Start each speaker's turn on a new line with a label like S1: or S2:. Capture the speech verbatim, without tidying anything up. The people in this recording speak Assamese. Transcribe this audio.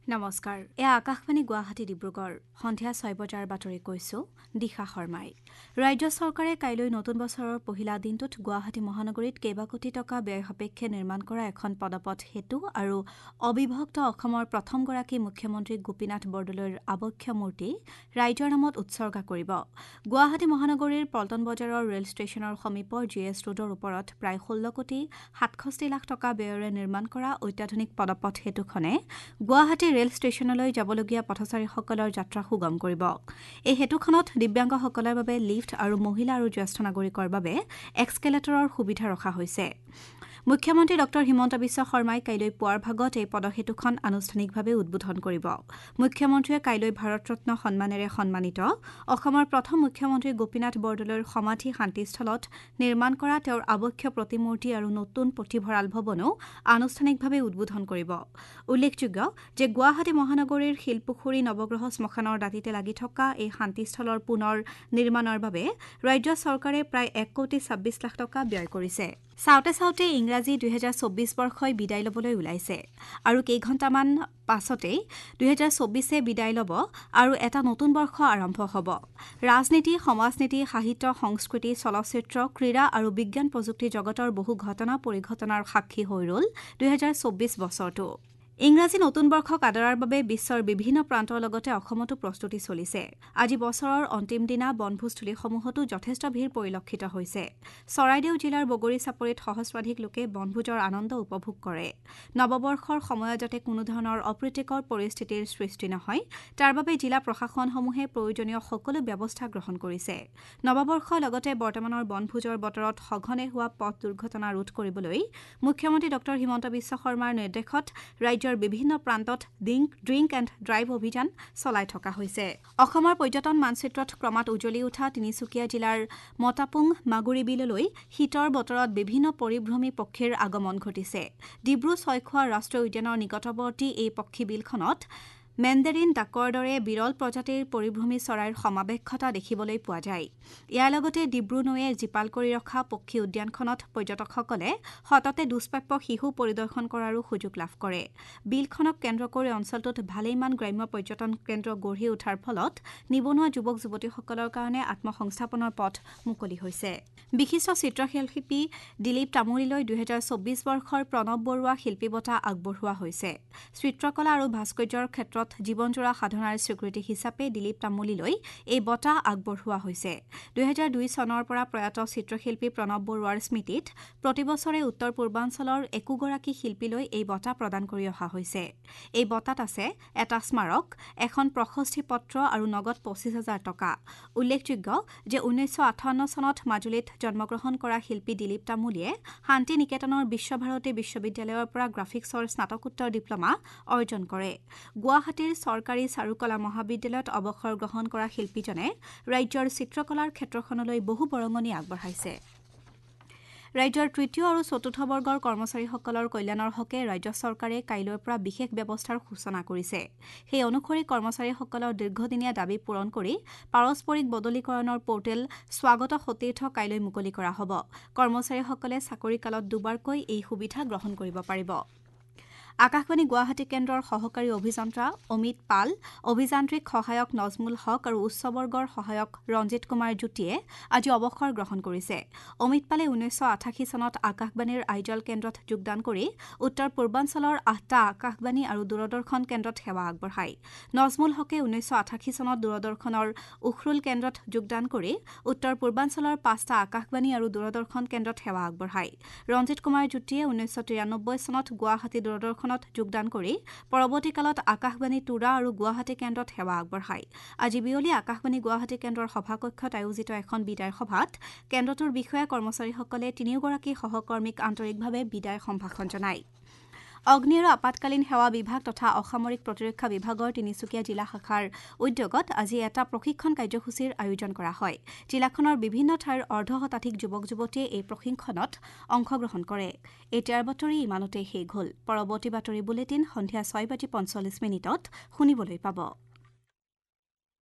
S1: নমস্কাৰ, এয়া আকাশবাণী গুৱাহাটী ডিব্ৰুগড়। সন্ধিয়া ছয় বজাৰ বাতৰি কৈছো দিশা শৰ্মাই। ৰাজ্য চৰকাৰে কাইলৈ নতুন বছৰৰ পহিলা দিনটোত গুৱাহাটী মহানগৰীত কেইবা কোটি টকা ব্যয় সাপেক্ষে নিৰ্মাণ কৰা এখন পদপথ সেতু আৰু অবিভক্ত অসমৰ প্ৰথমগৰাকী মুখ্যমন্ত্ৰী গোপীনাথ বৰদলৈৰ আৱক্ষ মূৰ্তি ৰাইজৰ নামত উৎসৰ্গা কৰিব। গুৱাহাটী মহানগৰীৰ পল্টন বজাৰৰ ৰেল ষ্টেচনৰ সমীপৰ জি এছ ৰোডৰ ওপৰত প্ৰায় ষোল্ল কোটি সাতষষ্ঠি লাখ টকা ব্যয়েৰে নিৰ্মাণ কৰা অত্যাধুনিক পদপথ সেতুখনে গুৱাহাটী ৰেল ষ্টেচনলৈ যাবলগীয়া পথচাৰীসকলৰ যাত্ৰা সুগম কৰিব। এই সেতুখনত দিব্যাংগসকলৰ বাবে লিফ্ট আৰু মহিলা আৰু জ্যেষ্ঠ নাগৰিকৰ বাবে এক্সকেলেটৰৰ সুবিধা ৰখা হৈছে। মুখ্যমন্ত্ৰী ডক্টৰ হিমন্ত বিশ্ব শৰ্মাই কাইলৈ পুৱাৰ ভাগত এই পদসেতুখন আনুষ্ঠানিকভাৱে উদ্বোধন কৰিব। মুখ্যমন্ত্ৰীয়ে কাইলৈ ভাৰতৰত্ন সন্মানেৰে সন্মানিত অসমৰ প্ৰথম মুখ্যমন্ত্ৰী গোপীনাথ বৰদলৈৰ সমাধি শান্তিস্থলত নিৰ্মাণ কৰা তেওঁৰ আৱক্ষ প্ৰতিমূৰ্তি আৰু নতুন পুথিভঁৰাল ভৱনো আনুষ্ঠানিকভাৱে উদ্বোধন কৰিব। উল্লেখযোগ্য যে গুৱাহাটী মহানগৰীৰ শিলপুখুৰী নৱগ্ৰহ শ্মশানৰ দাঁতিতে লাগি থকা এই শান্তিস্থলৰ পুনৰ নিৰ্মাণৰ বাবে ৰাজ্য চৰকাৰে প্ৰায় এক কোটি ছাব্বিছ লাখ টকা ব্যয় কৰিছে। চাওঁতে চাওঁতে ইংৰাজী দুহেজাৰ চৌব্বিছ বৰ্ষই বিদায় ল'বলৈ ওলাইছে আৰু কেইঘণ্টামান পাছতেই দুহেজাৰ চৌব্বিছে বিদায় ল'ব আৰু এটা নতুন বৰ্ষ আৰম্ভ হ'ব। ৰাজনীতি, সমাজনীতি, সাহিত্য, সংস্কৃতি, চলচ্চিত্ৰ, ক্ৰীড়া আৰু বিজ্ঞান প্ৰযুক্তি জগতৰ বহু ঘটনা পৰিঘটনাৰ সাক্ষী হৈ ৰ'ল দুহেজাৰ চৌব্বিছ বছৰটো। ইংৰাজী নতুন বৰ্ষক আদৰাৰ বাবে বিশ্বৰ বিভিন্ন প্ৰান্তৰ লগতে অসমতো প্ৰস্তুতি চলিছে। আজি বছৰৰ অন্তিম দিনা বনভোজস্থলীসমূহতো যথেষ্ট ভিৰ পৰিলক্ষিত হৈছে। চৰাইদেউ জিলাৰ বগৰী চাপৰিত সহস্ৰাধিক লোকে বনভোজৰ আনন্দ উপভোগ কৰে। নৱবৰ্ষৰ সময়ত যাতে কোনোধৰণৰ অপ্ৰীতিকৰ পৰিস্থিতিৰ সৃষ্টি নহয় তাৰ বাবে জিলা প্ৰশাসনসমূহে প্ৰয়োজনীয় সকলো ব্যৱস্থা গ্ৰহণ কৰিছে। নৱবৰ্ষৰ লগতে বৰ্তমানৰ বনভোজৰ বতৰত সঘনে হোৱা পথ দুৰ্ঘটনা ৰোধ কৰিবলৈ মুখ্যমন্ত্ৰী ডক্টৰ হিমন্ত বিশ্ব শৰ্মাৰ নিৰ্দেশত ৰাজ্য বিভিন্ন প্ৰান্তত ড্ৰিংক এণ্ড ড্ৰাইভ অভিযান চলাই থকা হৈছে। অসমৰ পৰ্যটন মানচিত্ৰত ক্ৰমাৎ উজলি উঠা তিনিচুকীয়া জিলাৰ মতাপুং মাগুৰী বিললৈ শীতৰ বতৰত বিভিন্ন পৰিভ্ৰমী পক্ষীৰ আগমন ঘটিছে। ডিব্ৰু ছয়খোৱা ৰাষ্ট্ৰীয় উদ্যানৰ নিকটৱৰ্তী এই পক্ষী বিলখনত মেণ্ডেৰিন ডাকৰ দৰে বিৰল প্ৰজাতিৰ পৰিভ্ৰমী চৰাইৰ সমাৱেশ ঘটা দেখিবলৈ পোৱা যায়। ইয়াৰ লগতে ডিব্ৰু নৈয়ে জীপাল কৰি ৰখা পক্ষী উদ্যানখনত পৰ্যটকসকলে সততে দুষ্প্ৰাপ্য শিশু পৰিদৰ্শন কৰাৰো সুযোগ লাভ কৰে। বিলখনক কেন্দ্ৰ কৰি অঞ্চলটোত ভালেমান গ্ৰাম্য পৰ্যটন কেন্দ্ৰ গঢ়ি উঠাৰ ফলত নিবনুৱা যুৱক যুৱতীসকলৰ কাৰণে আত্মসংস্থাপনৰ পথ মুকলি হৈছে। বিশিষ্ট চিত্ৰশিল্পী দিলীপ তামুলীলৈ দুহেজাৰ চৌব্বিছ বৰ্ষৰ প্ৰণৱ বৰুৱা শিল্পী বঁটা আগবঢ়োৱা হৈছে। চিত্ৰকলা আৰু ভাস্কৰ্যৰ ক্ষেত্ৰত জীৱনজোৰা সাধনাৰ স্বীকৃতি হিচাপে দিলীপ তামুলীলৈ এই বঁটা আগবঢ়োৱা হৈছে। দুহেজাৰ দুই চনৰ পৰা প্ৰয়াত চিত্ৰশিল্পী প্ৰণৱ বৰুৱাৰ স্মৃতিত প্ৰতিবছৰে উত্তৰ পূৰ্বাঞ্চলৰ একোগৰাকী শিল্পীলৈ এই বঁটা প্ৰদান কৰি অহা হৈছে। এই বঁটাত আছে এটা স্মাৰক, এখন প্ৰশস্তি পত্ৰ আৰু নগদ পঁচিছ হাজাৰ টকা। উল্লেখযোগ্য যে ঊনৈছশ আঠাৱন্ন চনত মাজুলীত জন্মগ্ৰহণ কৰা শিল্পী দিলীপ তামুলীয়ে শান্তি নিকেতনৰ বিশ্বভাৰতী বিশ্ববিদ্যালয়ৰ পৰা গ্ৰাফিক্সৰ স্নাতকোত্তৰ ডিপ্লমা অৰ্জন কৰে। গুৱাহাটী চৰকাৰী চাৰুকলা মহাবিদ্যালয়ত অৱসৰ গ্ৰহণ কৰা শিল্পীজনে ৰাজ্যৰ চিত্ৰকলাৰ ক্ষেত্ৰখনলৈ বহু বৰঙণি আগবঢ়াইছে। ৰাজ্যৰ তৃতীয় আৰু চতুৰ্থ বৰ্গৰ কৰ্মচাৰীসকলৰ কল্যাণৰ হকে ৰাজ্য চৰকাৰে কাইলৈৰ পৰা বিশেষ ব্যৱস্থাৰ সূচনা কৰিছে। সেই অনুসৰি কৰ্মচাৰীসকলৰ দীৰ্ঘদিনীয়া দাবী পূৰণ কৰি পাৰস্পৰিক বদলীকৰণৰ পৰ্টেল স্বাগত সতীৰ্থ কাইলৈ মুকলি কৰা হ'ব। কৰ্মচাৰীসকলে চাকৰিকালত দুবাৰকৈ এই সুবিধা গ্ৰহণ কৰিব পাৰিব। আকাশবাণী গুৱাহাটী কেন্দ্ৰৰ সহকাৰী অভিযন্তা অমিত পাল, অভিযান্ত্ৰিক সহায়ক নজমুল হক আৰু উচ্চ বৰ্গৰ সহায়ক ৰঞ্জিত কুমাৰ জ্যোতিয়ে আজি অৱসৰ গ্ৰহণ কৰিছে। অমিত পালে ঊনৈছশ আঠাশী চনত আকাশবাণীৰ আইজল কেন্দ্ৰত যোগদান কৰি উত্তৰ পূৰ্বাঞ্চলৰ আঠটা আকাশবাণী আৰু দূৰদৰ্শন কেন্দ্ৰত সেৱা আগবঢ়ায়। নজমুল হকে ঊনৈছশ আঠাশী চনত দূৰদৰ্শনৰ উখৰুল কেন্দ্ৰত যোগদান কৰি উত্তৰ পূৰ্বাঞ্চলৰ পাঁচটা আকাশবাণী আৰু দূৰদৰ্শন কেন্দ্ৰত সেৱা আগবঢ়ায়। ৰঞ্জিত কুমাৰ জ্যোতিয়ে ঊনৈছশ তিৰানব্বৈ চনত গুৱাহাটী দূৰদৰ্শন যোগদান কৰি পৰৱৰ্তী কালত আকাশবাণী তুৰা আৰু গুৱাহাটী কেন্দ্ৰত সেৱা আগবঢ়ায়। আজি বিয়লি আকাশবাণী গুৱাহাটী কেন্দ্ৰৰ সভাকক্ষত আয়োজিত এখন বিদায় সভাত কেন্দ্ৰটোৰ বিষয়া কৰ্মচাৰীসকলে তিনিওগৰাকী সহকৰ্মীক আন্তৰিকভাৱে বিদায় সম্ভাষণ জনায়। অগ্নি আৰু আপাতকালীন সেৱা বিভাগ তথা অসামৰিক প্ৰতিৰক্ষা বিভাগৰ তিনিচুকীয়া জিলা শাখাৰ উদ্যোগত আজি এটা প্ৰশিক্ষণ কাৰ্যসূচীৰ আয়োজন কৰা হয়। জিলাখনৰ বিভিন্ন ঠাইৰ অৰ্ধ শতাধিক যুৱক যুৱতীয়ে এই প্ৰশিক্ষণত অংশগ্ৰহণ কৰে। এতিয়াৰ বাতৰি ইমানতে শেষ হ'ল। পৰৱৰ্তী বাতৰি বুলেটিন সন্ধিয়া ছয় বাজি পঞ্চল্লিছ মিনিটত শুনিবলৈ পাব।